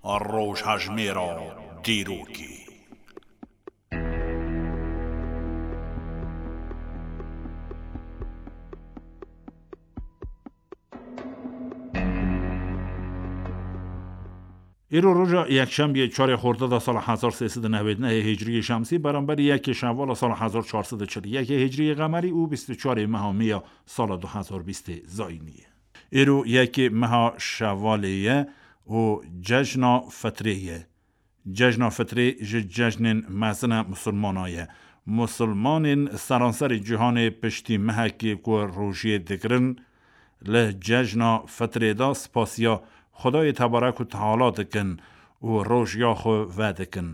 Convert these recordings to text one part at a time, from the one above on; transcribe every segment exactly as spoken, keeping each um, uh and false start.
Rojhejmêra dîrokê. Îro roja yekşembiyê çarê xorda da sala hezar sê sed û newêd nehê hicriyê şemsî, beramberî yekê şevala sala hezar çar sed û çil û yekê hicriyê qemerî û bîst û çarê meha mê ya sala du hezar bîstê zayînî ye. Îro yekê meha şevalê ye û cejna fitrê ye. Cejna fitrê ji cejnên mezin e musulmana ye. Musulmanên seranserê cîhanê piştî mehekê ku rojiyê digirin, li cejna fitrê de spasiya Xwedayê tebarek û teala dikin û rojiya xwe vedikin.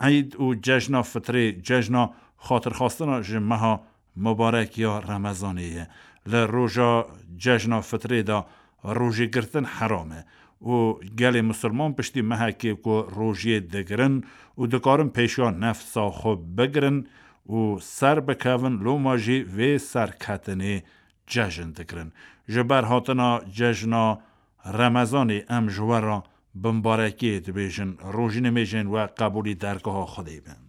Eyd û cejna fitrê cejna xatirxwastina ji meha mubarek ya Remezanê ye. Li roja cejna fitrê de rojê girtin heram e û gelê musulman piştî mehekê ku rojiyê digirin û dikarin pêşiya nefsa xwe bigirin û ser bikevin, loma jî vê serketinê cejn digirin. Ji ber hatina cejna Remezanê em ji we re bimbarekiyê dibêjin, rojî nimêjên we qebûlî dergeha Xwedê bin.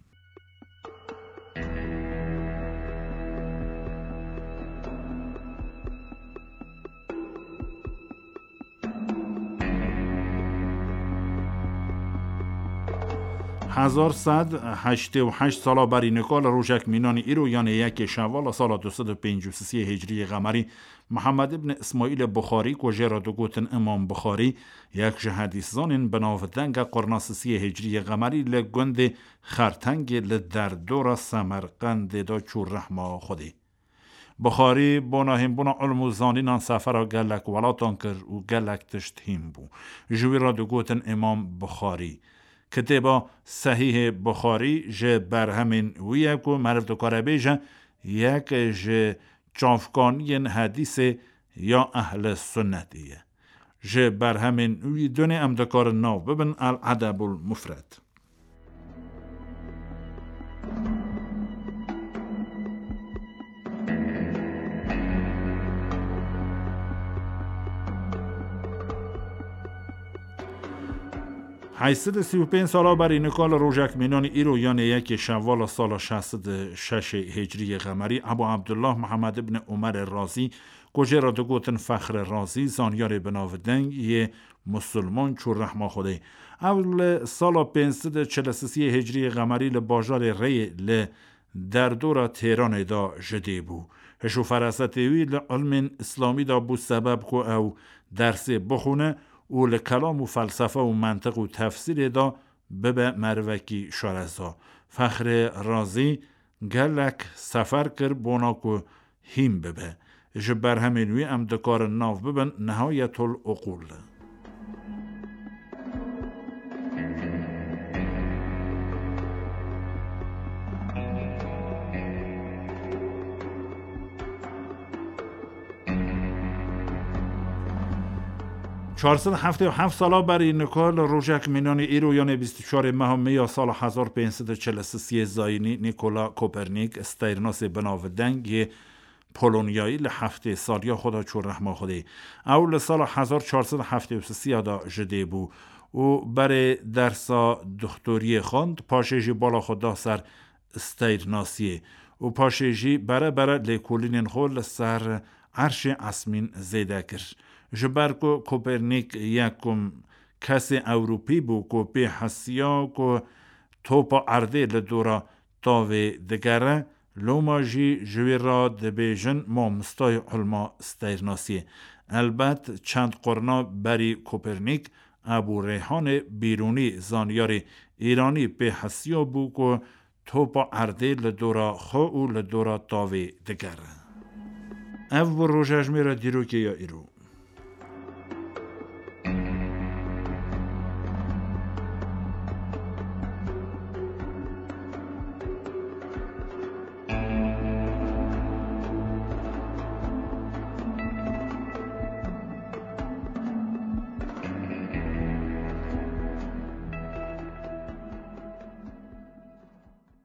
Hezar sed heştê û heşt sala berî nika li rojek mînanî îro, yanê yekê şevala sala du sed û pêncî û sisiyê hicriyê qemerî, Mihemed ibn Îsmaîlê Buxarî, ku jê re digotin Îmam Buxarî, yek ji hedîszanên bi navdeng e, qurna sisiyê hicriyê qemerî li gundê Xertengê li derdora Semerqendê de çû rehma Xwedê. Buxarî bona hînbûna ilm û zanînan sefera gelek welatan kir û gelek tişt hîn bû. Ji wî re digotin Îmam Buxarî. Kitêba Sehîhê Buxarî ji berhemên wî ye ku meriv dikare bêje yek ji çavkaniyên hedîsê ya ehle sunnetê ye. Ji berhemên wî dunê em dikarin nav bibin El Edebul Mufred. Heyşt sed û sî û pênc sala berî nika li rojek mînanî îro, yanê yekê şevala sala şeş sed û şeş hicriyê qemerî, Ebu Abdullah Muhammed ibn Umerê Razî, ku jê re digotin Fexrê Razî, zanyarê binavdeng yê musulman çû rehma Xwedê. Ew li sala pênc sed û çil û sisiyê hicriyê qemerî li bajarê Reyê li derdora Têranê de ji dê bû. Hiş û ferasetê wî li ilmên îslamî de bû sebeb ku ew dersê bixwîne û li kelam û felsefe û mentiq û tefsîrê de bibe merivekî şareza. Fexrê Razî gelek sefer kir bona ku hîn bibe. Ji berhemên wî em dikarin nav bibin Nihayetul Uqûl. Çar sed heftê û heft sala berî nika li rojek mînanî îro, yanê bîst û çarê meha mê ya sala hezar pênc sed û çil û sisiyê zayînî, Nîkola Kopernîk, steyrnasê binavdeng yê Polonyayî, li heftê saliya xwe de çû rehma Xwedê. Ew li sala hezar çar sed heftê û sisiya de ji dê bû û berê dersa doxtoriyê xwend, paşê jî bala xwe da ser steyrnasiyê û paşê jî bere bere lêkolînên xwe li ser erşê esmîn zêde kir. Ji ber ku Kopernîk yekum kesê Ewropî bû ku pê hesiya ku topa erdê li dora tavê digere, loma jî ji wî re dibêjin mamostayê ilma steyrnasiyê. Elbet çend qurna berî Kopernîk, Ebû Reyhanê Bîrûnî, zanyarê Îranî, pê hesiya bû ku topa erdê li dora xwe û li dora tavê digere. Ev bû rojejmêra dîrokê ya îro.